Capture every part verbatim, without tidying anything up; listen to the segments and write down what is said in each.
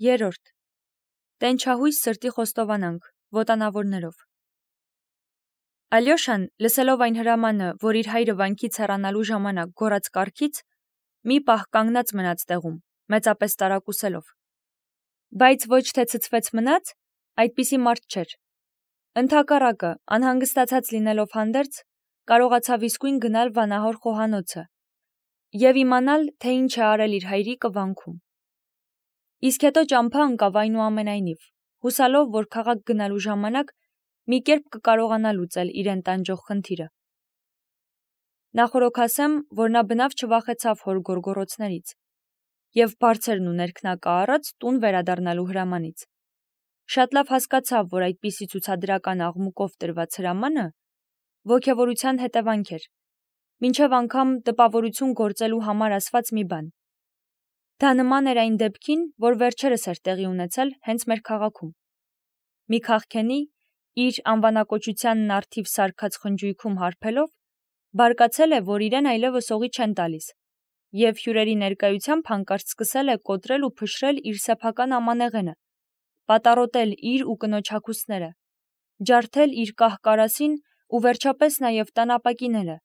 Երրորդ. Տենչահույս սրտի խոստովանանք, ոտանավորներով։ Ալյոշան, լսելով այն հրամանը, որ իր հայրը վանքից հեռանալու ժամանակ գոռաց կառքից, մի պահ կանգնած մնաց տեղում, մեծապես տարակուսելով։ Բայց ոչ թե ցցվեց մնաց, այդպիսի մարդ չէր։ Ընդհակառակը, անհանգստացած լինելով հանդերձ, կարողացավ իսկույն գնալ վանահոր խոհանոցը և իմանալ, թե ինչ է արել իր հայրիկը վանքում։ Իսկ հետո ճամփա ընկավ այնուամենայնիվ, հուսալով, որ քաղաք գնալու ժամանակ մի կերպ կկարողանա լուծել իրեն տանջող խնդիրը։ Նախորոք ասեմ, որ նա բնավ չվախեցավ հոր գոռգոռոցներից և բարձրն ու ներքնակա տուն վերադառնալու հրամանից։ Շատ լավ հասկացավ, որ այդպիսի ցուցադրական աղմուկով տրված հրամանը ոգևորության հետևանք էր, մինչև անգամ տպավորություն գործելու համար ասված մի բան։ Դա նման էր այն դեպքին, որ վերջերս էր տեղի ունեցել հենց մեր քաղաքում։ Մի քաղքենի, իր անվանակոչությանն առթիվ սարքած խնջույքում հարբելով, բարկացել է, որ իրեն այլևս օղի չեն տալիս, և հյուրերի ներկայությամբ հանկարծ սկսել է կոտրել ու փշրել իր սեփական ամանեղենը, պատառոտել իր ու կնոջ հագուստները, ջարդել իր կահ-կարասին ու վերջապես նաև տանապակիները,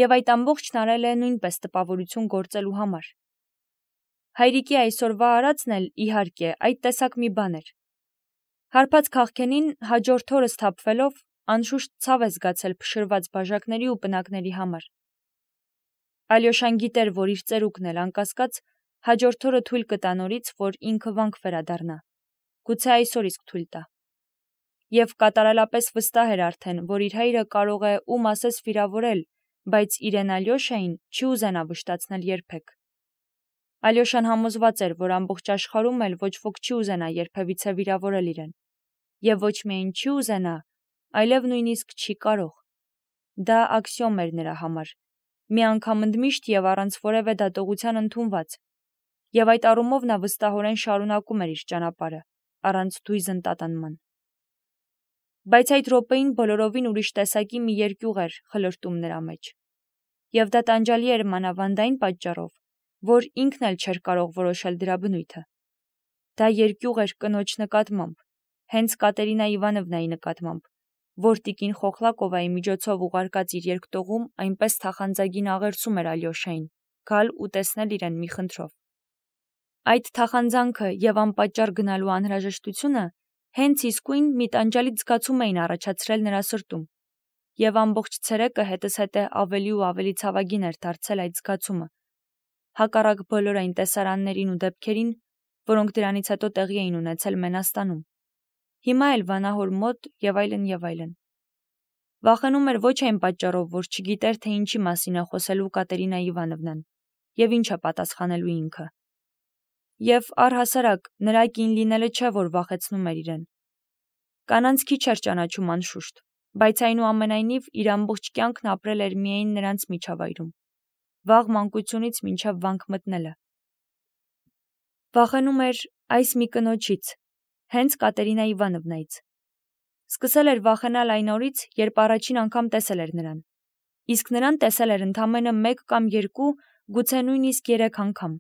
և այդ ամբողջն արել է նույնպես տպավորություն գործելու համար։ Հայրիկի այսօրվա արածն էլ, իհարկե, այդ տեսակ մի բան էր։ Հարբած քաղքենին հաջորդ օրը սթափվելով, անշուշտ ցավ է զգացել փշրված բաժակների ու պնակների համար։ Ալյոշան գիտեր, որ իր ծերուկն էլ անկասկած հաջորդ օրը թույլ կտա նորից, որ ինքը վանք վերադառնա, գուցե այսօր իսկ թույլ տա։ Եվ կատարելապես վստահ էր արդեն, որ իր հայրը կարող է ում ասես վիրավորել, բայց իրեն Ալյոշային չի ուզենա վշտացնել երբեք։ Ալյոշան համոզված էր, որ ամբողջ աշխարհում էլ ոչ ոք չի ուզենա երբևիցե վիրավորել իրեն, և ոչ միայն չի ուզենա, այլև նույնիսկ չի կարող։ Դա աքսիոմ էր նրա համար, մի անգամ ընդմիշտ և առանց որևէ դատողության ընդունված, և այդ առումով նա վստահորեն շարունակում էր իր ճանապարհը, առանց դույզն տատանման։ Բայց այդ րոպեին բոլորովին ուրիշ տեսակի մի երկյուղ էր խլրտում նրա մեջ, և դա տանջալի էր մանավանդ այն պատճառով, որ ինքն էլ չէր կարող որոշել դրա բնույթը։ Դա երկյուղ էր կնոջ նկատմամբ, հենց Կատերինա Իվանովնայի նկատմամբ, որ տիկին Խոխլակովայի միջոցով ուղարկած իր երկտողում այնպես թախանձագին աղերսում էր Ալյոշային, գալ ու տեսնել իրեն մի խնդրով։ Այդ թախանձանքը և անպատճառ գնալու անհրաժեշտությունը հենց իսկույն մի տանջալից զգացում էին առաջացրել նրա սրտում, և ամբողջ ցերեկը հետզհետե ավելի ու ավելի ցավագին էր դարձել այդ զգացումը, հակառակ բոլոր այն տեսարաններին ու դեպքերին, որոնք դրանից հետո տեղի էին ունեցել Մենաստանում, հիմա էլ վանահոր մոտ և այլն և այլն։ Վախենում էր ոչ այն պատճառով, որ չգիտեր, թե ինչի մասին է խոսելու Կատերինա Իվանովնան և ինչ է պատասխանելու ինքը։ Եվ առհասարակ նրա կին լինելը չէ, որ վախեցնում էր իրեն։ Կանանց քիչ էր ճանաչում անշուշտ, բայց այնուամենայնիվ իր ամբողջ կյանքն ապրել էր միայն նրանց միջավայրում, վաղ մանկությունից մինչև վանք մտնելը։ Վախենում էր այս մի կնոջից, հենց Կատերինա Իվանովնայից։ Սկսել էր վախենալ այն օրից, երբ առաջին անգամ տեսել էր նրան, իսկ նրան տեսել էր ընդամենը մեկ կամ երկու, գուցե նույնիսկ երեք անգամ,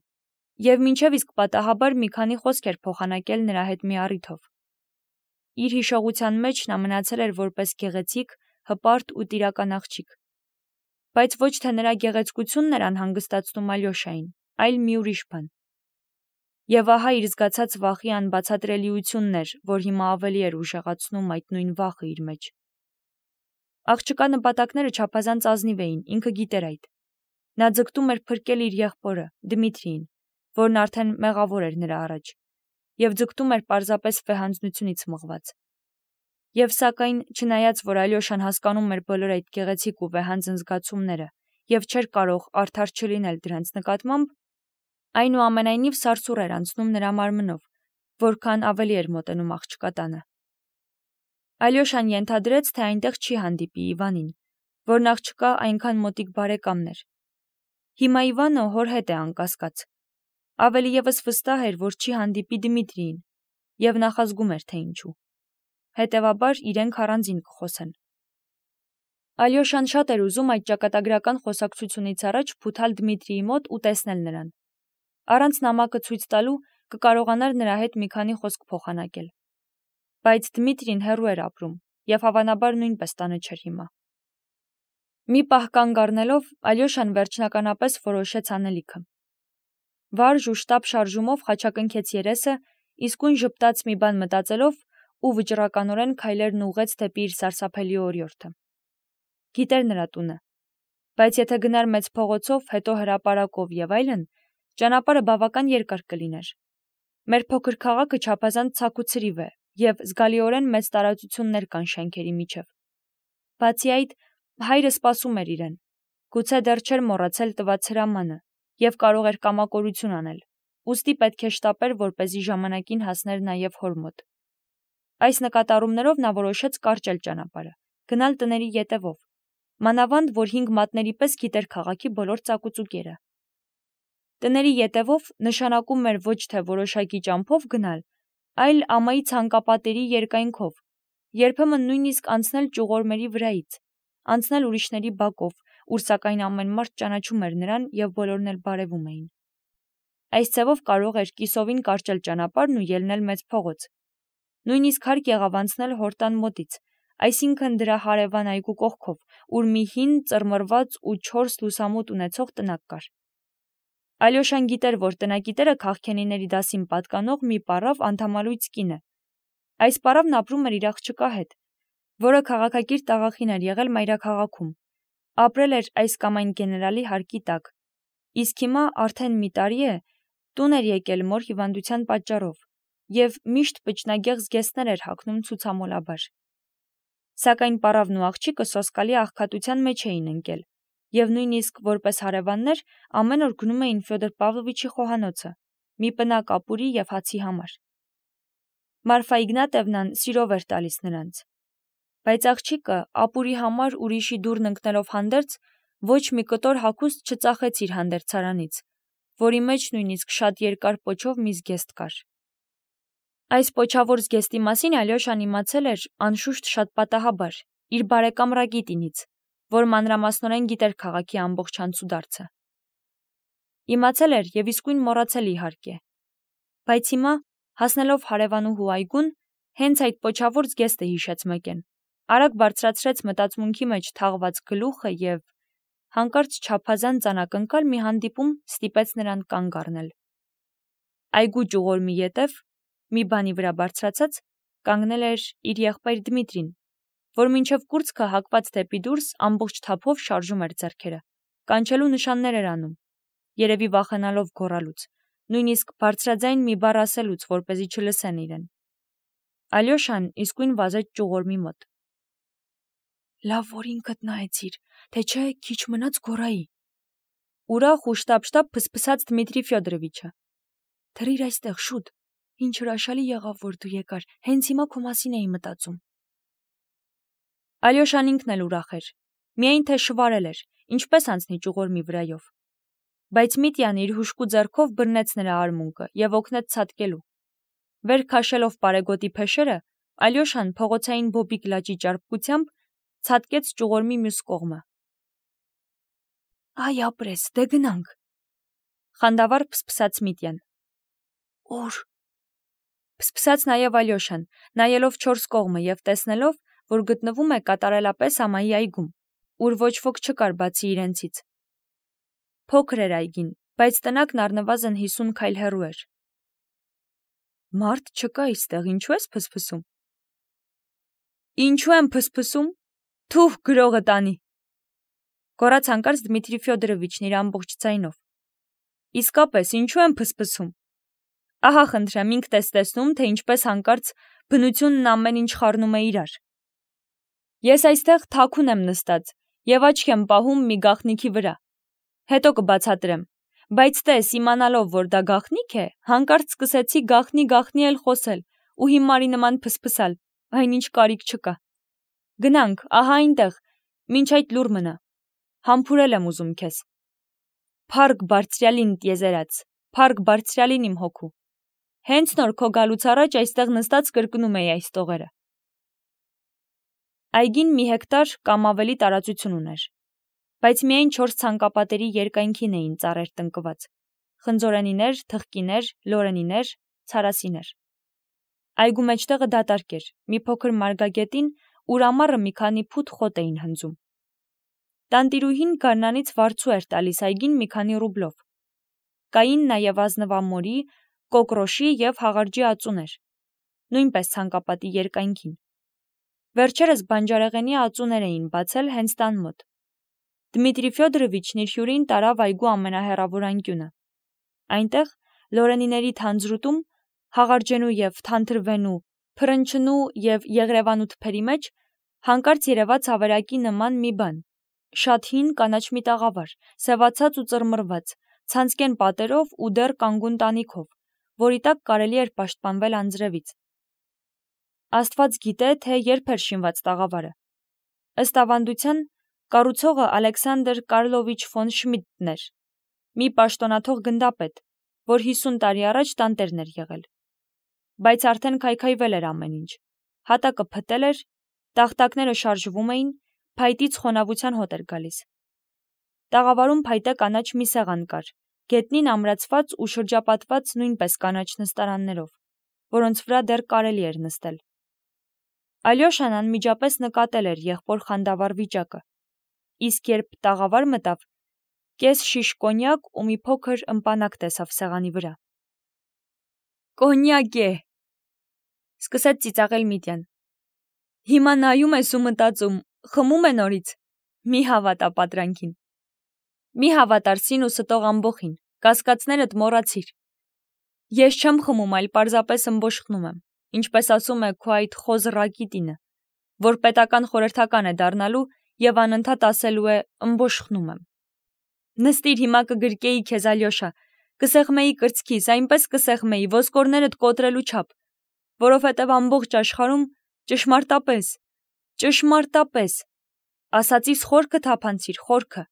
և մինչև իսկ պատահաբար մի քանի խոսք էր փոխանակել նրա հետ մի առիթով։ Իր հիշողության մեջ նա մնացել էր որպես գեղեցիկ, հպարտ ու տիրական աղջիկ։ Բայց ոչ թե նրա գեղեցկությունն էր անհանգստացնում Ալյոշային, այլ մի ուրիշ բան։ Եվ ահա իր զգացած վախի անբացատրելիությունն էր, որ հիմա ավելի էր ուժեղացնում այդ նույն վախը իր մեջ։ Աղջկա նպատակները չափազանց ազնիվ էին, ինքը գիտեր այդ։ Նա ձգտում էր փրկել իր եղբորը, Դմիտրիին, որն արդեն մեղավոր էր նրա առաջ, և ձգտում էր պարզապես վեհանձնությունից մղված։ Եվ սակայն, չնայած որ Ալյոշան հասկանում էր բոլոր այդ գեղեցիկ ու վեհանձն զգացումները և չէր կարող արդար չլինել դրանց նկատմամբ, այնուամենայնիվ սարսուռ էր անցնում նրա մարմնով, որքան ավելի էր մոտենում աղջկա տանը։ Ալյոշան ենթադրեց, թե այնտեղ չի հանդիպի Իվանին, որն աղջկա այնքան մոտիկ բարեկամն էր։ Հիմա Իվանը հոր հետ է անկասկած։ Ավելի ևս վստահ էր, որ չի հանդիպի Դմիտրիին, և նախազգում էր, թե ինչու։ Հետևաբար իրենք առանձին կխոսեն։ Ալյոշան շատ էր ուզում այդ ճակատագրական խոսակցությունից առաջ փութալ Դմիտրիի մոտ ու տեսնել նրան, առանց նամակը ցույց տալու, կկարողանար նրա հետ մի քանի խոսք փոխանակել։ Բայց Դմիտրին հեռու էր ապրում, եւ հավանաբար նույնպես տանը չէր հիմա։ Մի պահ կանգ առնելով, Ալյոշան վերջնականապես որոշեց անելիքը։ Վարժ ու շտապ շարժումով խաչակնքեց երեսը, իսկույն ժպտաց մի բան մտածելով ու վճռականորեն քայլերն ուղղեց դեպի իր սարսափելի օրիորդը։ Գիտեր նրա տունը, բայց եթե գնար մեծ փողոցով, հետո հրապարակով եւ այլն, ճանապարհը բավական երկար կլիներ։ Մեր փոքր քաղաքը չափազանց ցակ ու ցրիվ է, եւ զգալիորեն մեծ տարածություններ կան շենքերի միջև։ Բացի այդ, հայրը սպասում էր իրեն, գուցե դեռ չէր մոռացել տված հրամանը եւ կարող էր կամակորություն անել, ուստի պետք է շտապեր, որպեսզի ժամանակին հասներ նաեւ հոր մոտ։ Այս նկատառումներով նա որոշեց կարճել ճանապարհը, գնալ տների ետևով, մանավանդ որ հինգ մատների պես գիտեր քաղաքի բոլոր ծակուծուկերը։ Տների ետևով նշանակում էր ոչ թե որոշակի ճամփով գնալ, այլ ամայի ցանկապատերի երկայնքով, երբեմն նույնիսկ անցնել ճյուղորմերի վրայից, անցնել ուրիշների բակով, ուր սակայն ամեն մարդ ճանաչում էր նրան եւ բոլորն էլ բարևում էին։ Այս ցևով կարող էր կիսովին կարճել ճանապարհն ու ելնել մեծ փողոց։ Նույնիսկ հարկ եղավ անցնել հորտան մոտից, այսինքն դրա հարևան այգու կողքով, ուր մի հին, ծռմռված ու չորս լուսամուտ ունեցող տնակ կար։ Ալյոշան գիտեր, որ տնակիտերը քաղքենիների դասին պատկանող մի պառավ անդամալույց կին է։ Այս պառավն ապրում էր իր աղջկա հետ, որը քաղաքակիրթ աղախին էր եղել մայրաքաղաքում, ապրել էր այս կամ այն գեներալի հարկի տակ, իսկ հիմա արդեն մի տարի է տուն էր եկել մոր հիվանդության պատճառով եւ միշտ պճնագեղ զգեստներ էր հագնում ցուցամոլաբար։ Սակայն պառավն ու աղջիկը սոսկալի աղքատության մեջ էին ընկել եւ նույնիսկ որպես հարևաններ ամեն օր գնում էին Ֆյոդոր Պավլովիչի խոհանոցը, մի պնակ ապուրի եւ հացի համար։ Մարֆա Իգնատևնան սիրով էր տալիս նրանց, բայց աղջիկը ապուրի համար ուրիշի դուռն ընկնելով հանդերձ ոչ մի կտոր հագուստ չծախեց իր հանդերձարանից, որի մեջ նույնիսկ շատ երկար պոչով մի զգեստ կար։ Այս պոչավոր զգեստի մասին Ալյոշան իմացել էր անշուշտ շատ պատահաբար, իր բարեկամ Ռագիտինից, որ մանրամասնորեն գիտեր քաղաքի ամբողջ անցուդարձը։ Իմացել էր եւ իսկույն մոռացել իհարկե։ Բայց հիմա, հասնելով հարևանուհու այգուն, հենց այդ պոչավոր զգեստը հիշեց մեկեն, արագ բարձրացրեց մտածմունքի մեջ թաղված գլուխը եւ հանկարծ չափազանց անակնկալ մի հանդիպում ստիպեց նրան կանգ առնել։ Այգու ճյուղորմի ետև, մի բանի վրա բարձրացած, կանգնել էր իր եղբայր Դմիտրին, որ մինչև կուրծքը հակված դեպի դուրս ամբողջ թափով շարժում էր ձեռքերը, կանչելու նշաններ էր անում, երևի վախենալով գոռալուց, նույնիսկ բարձրաձայն մի բառ ասելուց, որպեսզի չլսեն իրեն։ Ալյոշան իսկույն վազեց ճյուղորմի մոտ։ Լավ, որ ինքդ նայեցիր, թե չէ քիչ մնաց գոռայի։ Ուրախ ու շտապ-շտապ փսփսաց Դմիտրի Ֆյոդորովիչը։ Թռիր այստեղ շուտ, ինչ հրաշալի եղավ, որ դու եկար, հենց հիմա քո մասին էի մտածում։ Ալյոշան ինքն էլ ուրախ էր, միայն թե շվարել էր, ինչպես անցնի ճյուղորմի վրայով։ Բայց Միտյանը իր հուժկու ձեռքով բռնեց նրա արմունկը եւ օգնեց ցատկելու։ Վեր քաշելով պարեգոտի փեշերը, Ալյոշան փողոցային բոբիկ լաճի ճարպկությամբ ցատկեց ճյուղորմի մյուս կողմը։ Այ ապրես, դե գնանք։ Խանդավառ փսփսաց Միտյան։ Ուր։ Փսփսաց նաեւ Ալյոշան, նայելով չորս կողմը եւ տեսնելով, որ գտնվում է կատարելապես ամայի այգում, ուր ոչ ոք չկար բացի իրենցից։ Փոքր էր այգին, բայց տնակն առնվազն հիսուն քայլ հեռու էր։ Մարդ չկա այստեղ, ինչու ես փսփսում։ Ինչու եմ փսփսում։ Թուh գրողը տանի։ Գոռաց հանկարծ Դմիտրի Ֆյոդորովիչն իր ամբողջ ձայնով։ Իսկապես, ինչու եմ փսփսում։ Ահա խնդրեմ, ինքդ ես տեսնում, թե ինչպես հանկարծ բնությունն ամեն ինչ խառնում է իրար։ Ես այստեղ թաքուն եմ նստած եւ աչք եմ պահում մի գաղտնիքի վրա։ Հետո կբացատրեմ, բայց տես, իմանալով, որ դա գաղտնիք է, հանկարծ սկսեցի գաղտնի գաղտնի էլ խոսել ու հիմարի նման փսփսալ, այնինչ կարիք չկա։ Գնանք, ահա այնտեղ, մինչ այդ լուր մնա։ Համբուրել եմ ուզում քեզ։ Փառք բարձրյալին տիեզերած, փառք բարձրյալին իմ հոգու։ Հենց նոր քո գալուց առաջ այստեղ նստած կրկնում էի այս տողերը։ Այգին մի հեկտար կամ ավելի տարածություն ուներ, բայց միայն չորս ցանկապատերի երկայնքին էին ծառեր տնկված, խնձորենիներ, թխկիներ, լորենիներ, ցարասիներ։ Այգու մեջտեղը դատարկ էր, մի փոքր մարգագետին, ուր ամառը մի քանի փութ խոտ էին հնձում։ Տանտիրուհին գարնանից վարձու էր տալիս այգին մի քանի ռուբլով։ Կային նաև ազնվամորի, կոկրոշի և հաղարջի ածուներ, նույնպես ցանկապատի երկայնքին։ Վերջերս բանջարեղենի ածուներ էին բացել հենց տան մոտ։ Դմիտրի Ֆյոդորովիչն իր հյուրին տարավ այգու ամենահեռավոր անկյունը։ Այնտեղ լորենիների թանձրուտում, հաղարջենու և թանթրվենու, փռնչնու և եղրևանու թփերի մեջ հանկարծ երևաց ավերակի նման մի բան, շատ հին կանաչ մի տաղավար, սևացած ու ծռմռված, ցանցկեն պատերով ու դեռ կանգուն տանիքով, որի տակ կարելի էր պաշտպանվել անձրևից։ Աստված գիտե, թե երբ էր շինված տաղավարը։ Ըստ ավանդության, կառուցողը Ալեքսանդր Կարլովիչ ֆոն Շմիդտն էր, մի պաշտոնաթող գնդապետ, որ հիսուն տարի առաջ տանտերն էր եղել։ Բայց արդեն քայքայվել էր ամեն ինչ, հատակը փտել էր, տախտակները շարժվում էին, փայտից խոնավության հոտ էր գալիս։ Տաղավարում փայտե կանաչ մի սեղան կար, գետնին ամրացված ու շրջապատված նույնպես կանաչ նստարաններով, որոնց վրա դեռ կարելի էր նստել։ Ալյոշան անմիջապես նկատել էր եղբոր խանդավառ վիճակը, իսկ երբ տաղավար մտավ, կես շիշ կոնյակ ու մի փոքր ըմպանակ տեսավ սեղանի վրա։ «Կոնյակ է», սկսեց ծիծաղել Միտյան։ «Հիմա նայում ես ու մտածում, խմում է նորից, մի հավատա պատրանքին։ Մի հավատար սին ու ստող ամբոխին, կասկածներդ մոռացիր։ Ես չեմ խմում, այլ պարզապես ըմբոշխնում եմ, ինչպես ասում է քո այդ խոզռակի տինը, որ պետական խորհրդական է դառնալու և անընդհատ ասելու է ըմբոշխնում եմ։ Նստիր, հիմա կգրկեի քեզ, Ալյոշա, կսեղմեի կրծքիս, այնպես կսեղմեի, ոսկորներդ կոտրելու չափ, որովհետև ամբողջ աշխարհում ճշմարտապես, ճշմարտապես, ասածիս խորքը թափանցիր, խորքը,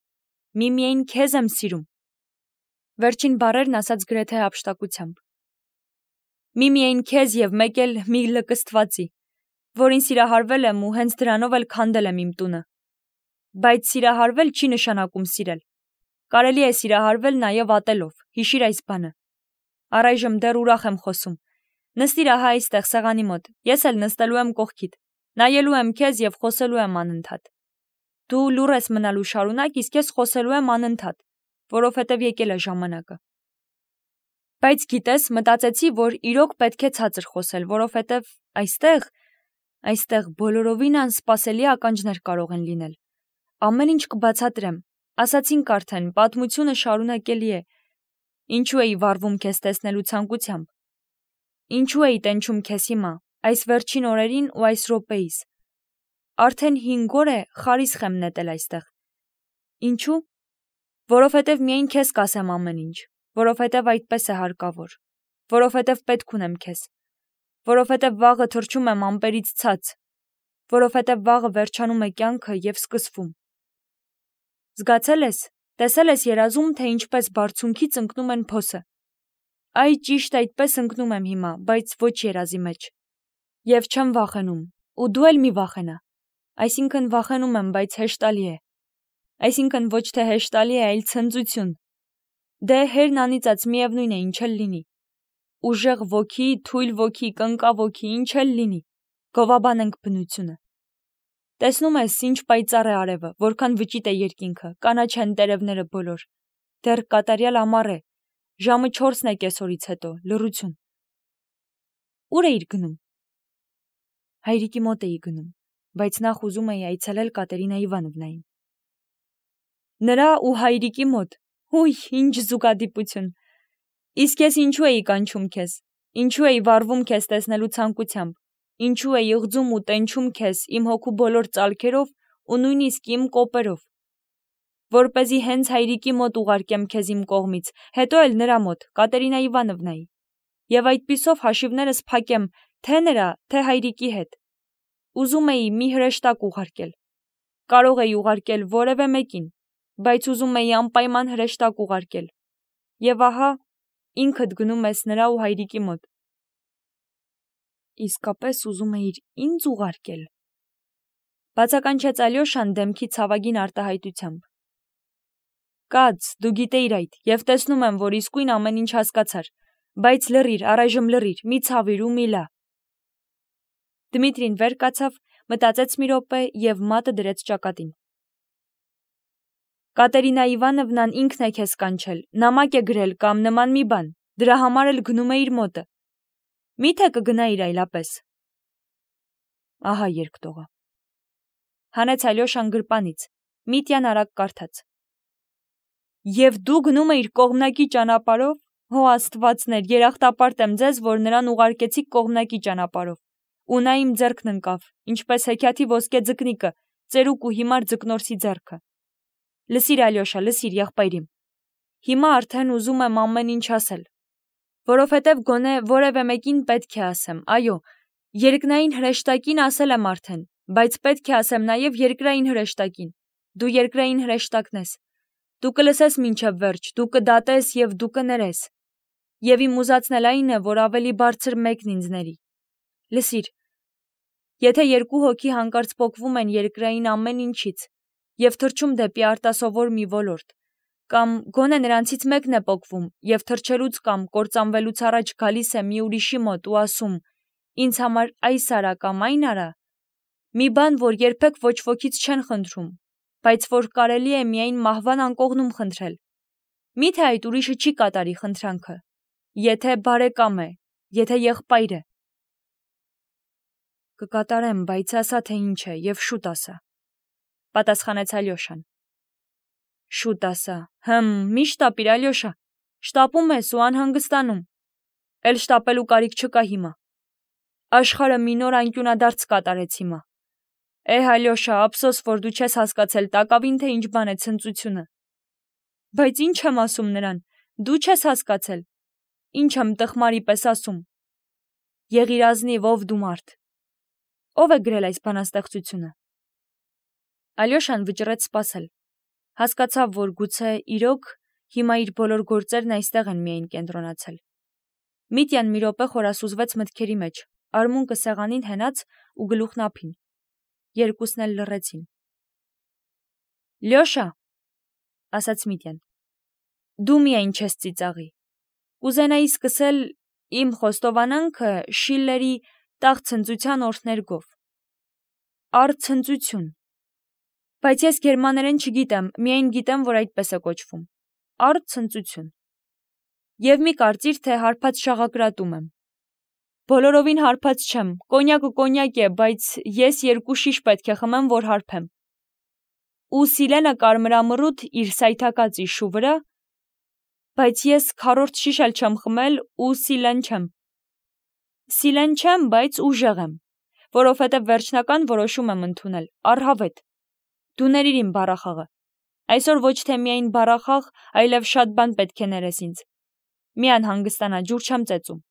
միմիայն քեզ եմ սիրում։ Վերջին բառերն ասաց գրեթե հափշտակությամբ։ Միմիայն քեզ և մեկ էլ մի լկստվածի, որին սիրահարվել եմ ու հենց դրանով էլ քանդել եմ իմ տունը։ Բայց սիրահարվել չի նշանակում սիրել։ Կարելի է սիրահարվել նաև ատելով, հիշիր այս բանը։ Առայժմ դեռ ուրախ եմ խոսում։ Նստիր ահա այստեղ սեղանի մոտ, ես էլ նստելու եմ կողքիդ, նայելու եմ քեզ և խոսելու եմ անընդհատ։ Դու լուռ ես մնալու շարունակ, իսկ ես խոսելու եմ անընդհատ, որովհետև եկել է ժամանակը։ Բայց գիտես, մտածեցի, որ իրոք պետք է ցածր խոսել, որովհետև այստեղ, այստեղ բոլորովին անսպասելի ականջներ կարող են լինել։ Ամեն ինչ կբացատրեմ, ասացինք արդեն, պատմությունը շարունակելի է։ Ինչու էի վառվում քեզ տեսնելու ցանկությամբ։ Ինչու էի տենչում քեզ հիմա, այս վերջին օրերին ու այս րոպեիս։ Արդեն հինգ օր է խարիսխ եմ նետել այստեղ։ Ինչու։ Որովհետև միայն քեզ կասեմ ամեն ինչ, որովհետև այդպես է հարկավոր, որովհետև պետք ունեմ քեզ, որովհետև վաղը թռչում եմ ամպերից ցած, որովհետև վաղը վերջանում է կյանքը և սկսվում։ Զգացել ես, տեսել ես երազում, թե ինչպես բարձունքից ընկնում են փոսը։ Այ ճիշտ այդպես ընկնում եմ հիմա, բայց ոչ երազի մեջ։ Եվ չեմ վախենում, ու դու էլ մի վախենա։ Այսինքն վախենում եմ, բայց հեշտալի է։ Այսինքն ոչ թե հեշտալի է, այլ ցնծություն։ Դե հերն անիծած միևնույն է, ինչ էլ լինի։ Ուժեղ ոգի, թույլ ոգի, կնկա ոգի, ինչ էլ լինի։ Գովաբանենք բնությունը։ Տեսնում ես, ինչ պայծառ է արևը, որքան վճիտ է երկինքը, կանաչ են տերևները բոլոր։ Դեռ կատարյալ ամառ է, ժամը չորսն է կեսօրից հետո, լռություն։ Ուր էիր գնում։ Հայրիկի մոտ էի գնում, բայց նախ ուզում էի այցելել Կատերինա Իվանովնային։ Նրա ու հայրիկի մոտ, հույ, ինչ զուգադիպություն։ Իսկ ես ինչու էի կանչում քեզ, ինչու էի վառվում քեզ տեսնելու ցանկությամբ, ինչու էի ղձում ու տենչում քեզ իմ հոգու բոլոր ծալքերով ու նույնիսկ իմ կոպերով, որպեսզի հենց հայրիկի մոտ ուղարկեմ քեզ իմ կողմից, հետո էլ նրա մոտ, Կատերինա Իվանովնայի, և այդպիսով հաշիվներս փակեմ թե նրա, թե հայրիկի հետ։ Ուզում էի մի հրեշտակ ուղարկել։ Կարող էի ուղարկել որևէ մեկին, բայց ուզում էի անպայման հրեշտակ ուղարկել։ Եվ ահա, ինքդ գնում ես նրա ու հայրիկի մոտ։ Իսկապես ուզում էիր ինձ ուղարկել։ Բացականչեց Ալյոշան դեմքի ցավագին արտահայտությամբ։ Կաց, դու գիտեիր այդ, եւ տեսնում եմ, որ իսկույն ամեն ինչ հասկացար, բայց լռիր, առայժմ լռիր, մի ցավիր ու մի լա։ Դմիտրին վեր կացավ, մտածեց մի րոպե եւ մատը դրեց ճակատին։ Կատերինա Իվանովնան ինքն է քեզ կանչել, նամակ է գրել կամ նման մի բան, դրա համար էլ գնում է իր մոտը։ Միթե կգնայիր այլապես։ Ահա երկտողը։ Հանեց Ալյոշան գրպանից, Միտյան արագ կարդաց։ Եվ դու գնում էիր կողմնակի ճանապարհով, հո աստվածներ, երախտապարտ եմ ձեզ, որ նրան ուղարկեցիք կողմնակի ճանապարհով։ Ու նա իմ ձեռքն ընկավ, ինչպես հեքիաթի ոսկե ձկնիկը, ծերուկ ու հիմար ձկնորսի ձեռքը։ Լսիր Ալյոշա, լսիր եղբայրիմ։ Հիմա արդեն ուզում եմ ամեն ինչ ասել, որովհետև գոնե որևէ մեկին պետք է ասեմ, այո, երկնային հրեշտակին ասել եմ արդեն, բայց պետք է ասեմ նաև երկրային հրեշտակին։ Դու երկրային հրեշտակն ես։ Դու կլսես մինչև վերջ, դու կդատես եւ դու կներես։ Եվ իմ ուզածն էլ այն է, որ ավելի բարձր մեկն ինձ ների։ Լսիր, եթե երկու հոգի հանկարծ պոկվում են երկրային ամեն ինչից եւ թռչում դեպի արտասովոր մի ոլորտ, կամ գոնե նրանցից մեկն է պոկվում եւ թռչելուց կամ կործանվելուց առաջ գալիս է մի ուրիշի մոտ ու ասում. «Ինձ համար այս արա կամ այն արա», մի բան, որ երբեք ոչ ոքից չեն խնդրում, բայց որ կարելի է միայն մահվան անկողնում խնդրել։ Միթե այդ ուրիշը չի կատարի խնդրանքը, եթե բարեկամ է, եթե եղբայր է։ Կկատարեմ, բայց ասա թե ինչ է եւ շուտ ասա, պատասխանեց Ալյոշան։ Շուտ ասա, հմ, մի շտապիր Ալյոշա, շտապում ես ու անհանգստանում։ Էլ շտապելու կարիք չկա հիմա։ Աշխարհը մի նոր անկյունադարձ կատարեց հիմա։ Էհ Ալյոշա, ափսոս, որ դու չես հասկացել տակավին թե ինչ բան է ցնծությունը։ Բայց ինչ եմ ասում նրան, դու չես հասկացել։ Ինչ եմ տխմարի պես ասում։ Եղիր ազնիվ, ով դու մարդ։ Ո՞վ է գրել այս բանաստեղծությունը։ Ալյոշան վճռեց սպասել։ Հասկացավ, որ գուցե իրոք հիմա իր բոլոր գործերն այստեղ են միայն կենտրոնացել։ Միտյան մի րոպե խորասուզվեց մտքերի մեջ, արմունկը սեղանին հենած ու գլուխն ափին։ Երկուսն էլ լռեցին։ Լյոշա, ասաց Միտյան, դու միայն չես ծիծաղի։ Կուզենայի սկսել իմ խոստովանանքը Շիլլերի տաղ-ցնծության օրհներգով։ Արցնծություն։ Բայց ես գերմաներեն չգիտեմ, միայն գիտեմ, որ այդպես է կոչվում։ Արցնծություն։ Եվ մի կարծիր, թե հարբած շաղակրատում եմ։ Բոլորովին հարբած չեմ, կոնյակը կոնյակ է, բայց ես երկու շիշ պետք է խմեմ, որ հարբեմ։ Ու Սիլենը կարմրամռութ իր սայթակած իշու վրա, բայց ես քառորդ շիշ էլ չեմ խմել ու Սիլեն չեմ։ Սիլեն չեմ, բայց ուժեղ եմ, որովհետև վերջնական որոշում եմ ընդունել, առհավետ։ Դու ներիր իմ բառախաղը։ Այսօր ոչ թե միայն բառախաղ, այլև շատ բան պետք է ներես ինձ։ Մի անհանգստանա, ջուր չեմ ծեծում։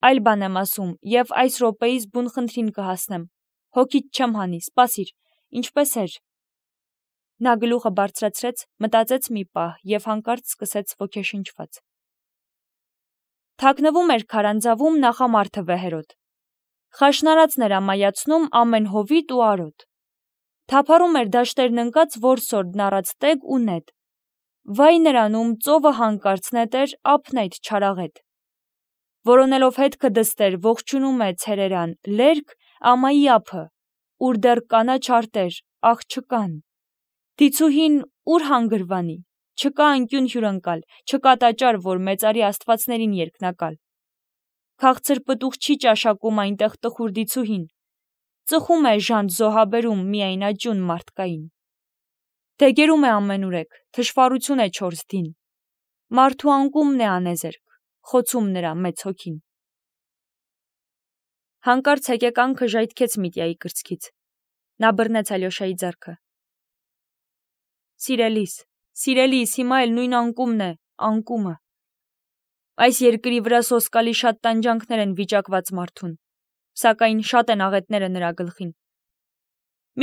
Այլ բան եմ ասում, եւ այս րոպեից բուն խնդրին կհասնեմ։ Հոգիդ չեմ հանի, սպասիր, ինչպես էր։ Նա գլուխը բարձրացրեց, մտածեց մի պահ եւ հանկարծ սկսեց ոգեշնչված։ Թաքնվում էր քարանձավում նախամարդը վեհերոտ։ Խաշնարածներ ամայացնում ամեն հովիտ ու արոտ։ Թափառում էր դաշտերն ընկած որսորդ նառած տեգ ու նետ։ Վայ նրանում ծովը հանկարծ նետեր ափնայդ չարաղետ։ Որոնելով հետքը դստեր ողջունում է ցերերան, լերկ ամայի ափը, ուր դեռ կանաչ արտեր, աղ չկան։ Դիցուհին ուր հանգրվանի, չկա անկյուն հյուրընկալ, չկա տաճար, որ մեծարի աստվածներին երկնակալ։ Քաղցր պտուղ չի ճաշակում այնտեղ տխուր դիցուհին։ Ծխում է ժանտ զոհաբերում միայն աճուն մարդկային։ Դեգերում է ամենուրեք, թշվառություն է չորս դին։ Մարդու անկումն է անեզերք, խոցում նրա մեծ հոգին։ Հանկարծ հեկեկանքը ժայթքեց Միտյայի կրծքից։ Նա բռնեց Ալյոշայի ձեռքը։ Սիրելիս, սիրելիս, հիմա էլ նույն անկումն է, անկումը։ Այս երկրի վրա սոսկալի շատ տանջանքներ են վիճակված մարդուն, սակայն շատ են աղետները նրա գլխին։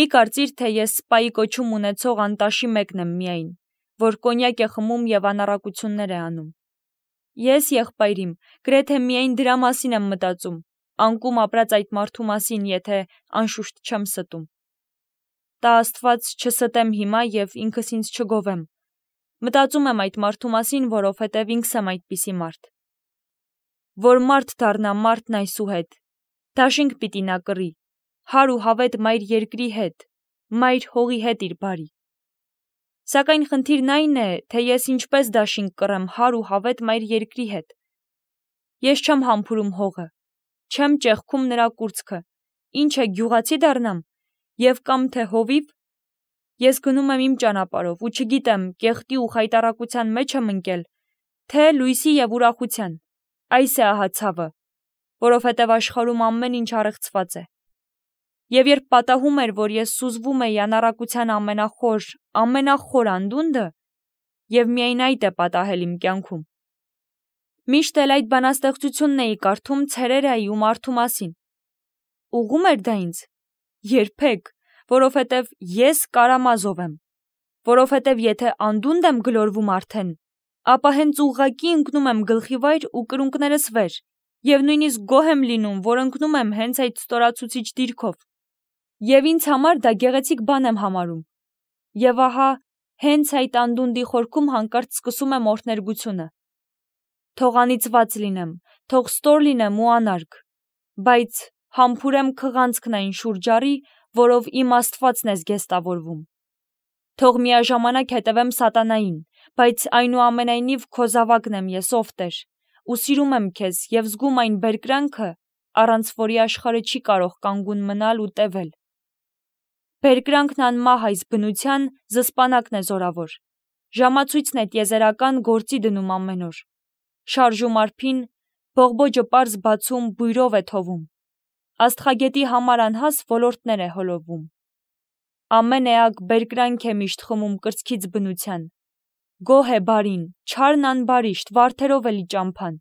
Մի կարծիր, թե ես սպայի կոչում ունեցող անտաշի մեկն եմ միայն, որ կոնյակ է խմում եւ անառակություններ է անում։ Ես եղբայրիմ, գրեթե միայն դրա մասին եմ մտածում, անկում ապրած այդ մարդու մասին, եթե անշուշտ չեմ ստում։ Տա Աստված չստեմ հիմա եւ ինքս ինձ չգովեմ, Մտածում եմ այդ մարդու մասին, որովհետև ինքս եմ այդպիսի մարդ։ Որ մարդ դառնա մարդն այսուհետ, դաշինք պիտի նա կռի, հար ու հավետ մայր երկրի հետ, մայր հողի հետ իր բարի։ Սակայն խնդիրն այն է, թե ես ինչպես դաշինք կռեմ հար ու հավետ մայր երկրի հետ։ Ես չեմ համբուրում հողը, չեմ ճեղքում նրա կուրծքը, ինչ է գյուղացի դառնամ, եւ կամ թե հովիվ։ Ես գնում եմ իմ ճանապարհով ու չգիտեմ կեղտի ու խայտառակության մեջ եմ ընկել, թե լույսի եւ ուրախության։ Այս է ահա ցավը, որովհետև աշխարհում ամեն ինչ առեղծված է։ Եվ երբ պատահում էր, որ ես սուզվում էի անառակության ամենախոր, ամենախոր անդունդը, եւ միայն այդ է պատահել իմ կյանքում։ Միշտ էլ այդ բանաստեղծությունն էի կարդում ցերերայի ու մարդու մասին։ Ուղում էր դա ինձ։ Երբեք, որովհետև ես Կարամազով եմ, որովհետև եթե անդունդ եմ գլորվում արդեն, ապա հենց ուղղակի ընկնում եմ գլխիվայր ու կրունկներս վեր, եւ նույնիսկ գոհ եմ լինում, որ ընկնում եմ հենց այդ ստորացուցիչ դիրքով։ Եվ ինձ համար դա գեղեցիկ բան եմ համարում։ Եվ ահա, հենց այդ անդունդի խորքում հանկարծ սկսում եմ օրհներգությունը։ Թող անիծված լինեմ, թող ստոր լինեմ ու անարգ, բայց համբուրեմ քղանցքն այն շուրջարի, որով իմ Աստվածն է զգեստավորվում։ Թող միաժամանակ հետևեմ սատանային, բայց այնուամենայնիվ քո զավակն եմ ես, ով Տեր, ու սիրում եմ քեզ եւ զգում այն բերկրանքը, առանց որի աշխարհը չի կարող կանգուն մնալ ու տևել։ Բերկրանքն անմահ այս բնության զսպանակն է զորավոր, ժամացույցն է տիեզերական գործի դնում ամեն օր, շարժում արփին, բողբոջը պարզ բացում բույրով է թովում, աստղագետի համար անհաս ոլորտներ է հոլովում։ Ամեն էակ բերկրանք է միշտ խմում կրծքից բնության, գոհ է բարին, չարն անբարիշտ, վարդերով էլի ճամփան,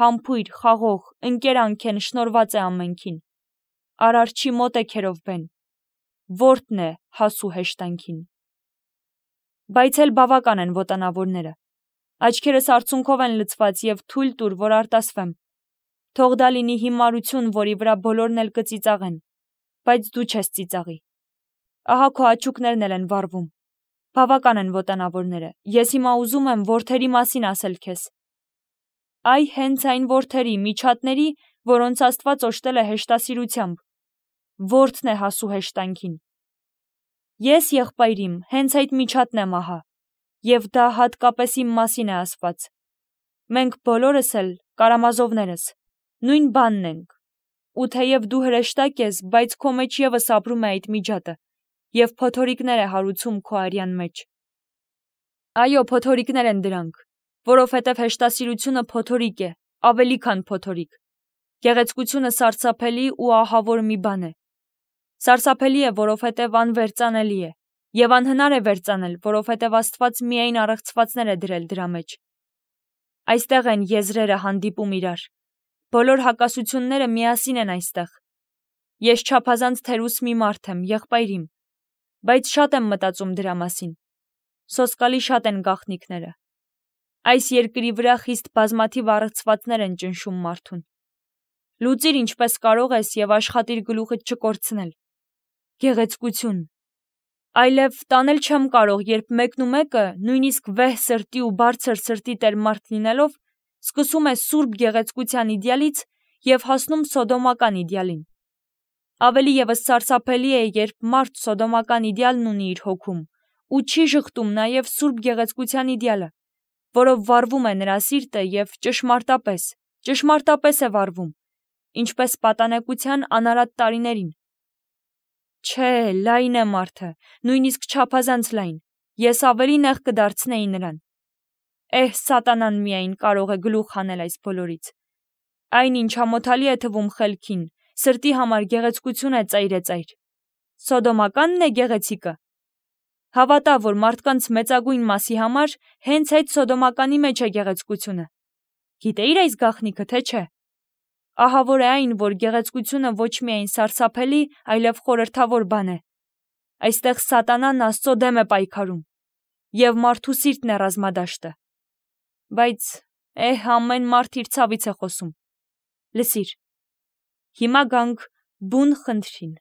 համբույր, խաղող, ընկերանք են, շնորված է ամենքին, արարչի մոտ է քերով բեն, որդն է հասու հեշտանքին։ Բայց էլ բավական են ոտանավորները, աչքերս արցունքով են լցված եւ թույլ տուր, որ արտասվեմ, թող դա լինի հիմարություն, որի վրա բոլորն էլ կծիծաղեն, բայց դու չես ծիծաղի։ Ահա քո աչուկներն էլ են վառվում, բավական են ոտանավորները, ես հիմա ուզում եմ որդերի մասին ասել քեզ։ Այ հենց այն որդերի, միջատների, որոնց Աստված օժտել է հեշտասիրությամբ, որդն է հասու հեշտանքին։ Ես եղբայրիմ, հենց այդ միջատն եմ ահա, եւ դա հատկապես իմ մասին է ասված։ Մենք բոլորս էլ, Կարամազովներս, նույն բանն ենք, ու թեև դու հրեշտակ ես, բայց քո մեջ եւս ապրում է այդ միջատը, եւ փոթորիկներ է հարուցում քո արյան մեջ։ Այո, փոթորիկներ են դրանք, որովհետև հեշտասիրությունը փոթորիկ է, ավելի քան փոթորիկ։ Գեղեցկությունը սարսափելի ու ահավոր մի բան է։ Սարսափելի է, որովհետև անվերծանելի է, եւ անհնար է վերծանել, որովհետև Աստված միայն առեղծվածներ է դրել դրա մեջ։ Այստեղ են եզրերը հանդիպում իրար։ Բոլոր հակասությունները միասին են այստեղ։ Ես չափազանց թերուս մի մարդ եմ, եղբայրիմ, բայց շատ եմ մտածում դրա մասին։ Սոսկալի շատ են գաղտնիքները։ Այս երկրի վրա խիստ բազմաթիվ առեղծվածներ են ճնշում մարդուն։ Լուծիր ինչպես կարող ես եւ աշխատիր գլուխդ չկորցնել։ Գեղեցկություն։ Այլև տանել չեմ կարող, երբ մեկն ու մեկը, նույնիսկ վեհ սրտի ու բարձր սրտի տեր մարդ լինելով, սկսում է սուրբ գեղեցկության իդեալից եւ հասնում սոդոմական իդեալին։ Ավելի եւս սարսափելի է, երբ մարդ սոդոմական իդեալն ունի իր հոգում ու չի շղթում նաեւ սուրբ գեղեցկության իդեալը, որով վառվում է նրա սիրտը եւ ճշմարտապես, ճշմարտապես է վառվում, ինչպես պատանեկության անարատ տարիներին։ Չէ, լայն է մարդը, նույնիսկ չափազանց լայն, ես ավելի նեղ կդարձնեի նրան։ Էհ, սատանան միայն կարող է գլուխ հանել այս բոլորից։ Այն ինչ ամոթալի է թվում խելքին, սրտի համար գեղեցկություն է ծայրեծայր։ Սոդոմականն է գեղեցիկը։ Հավատա, որ մարդկանց մեծագույն մասի համար հենց այդ սոդոմականի մեջ է գեղեցկությունը։ Գիտեիր այս գաղտնիքը, թե չէ։ Ահա որ է այն, որ գեղեցկությունը ոչ միայն սարսափելի, այլև խորհրդավոր բան է։ Այստեղ սատանան Աստծո դեմ է պայքարում, եւ մարդու սիրտն է ռազմադաշտը։ Բայց, էհ, ամեն մարդ իր ցավից է խոսում։ Լսիր, հիմա գանք բուն խնդրին։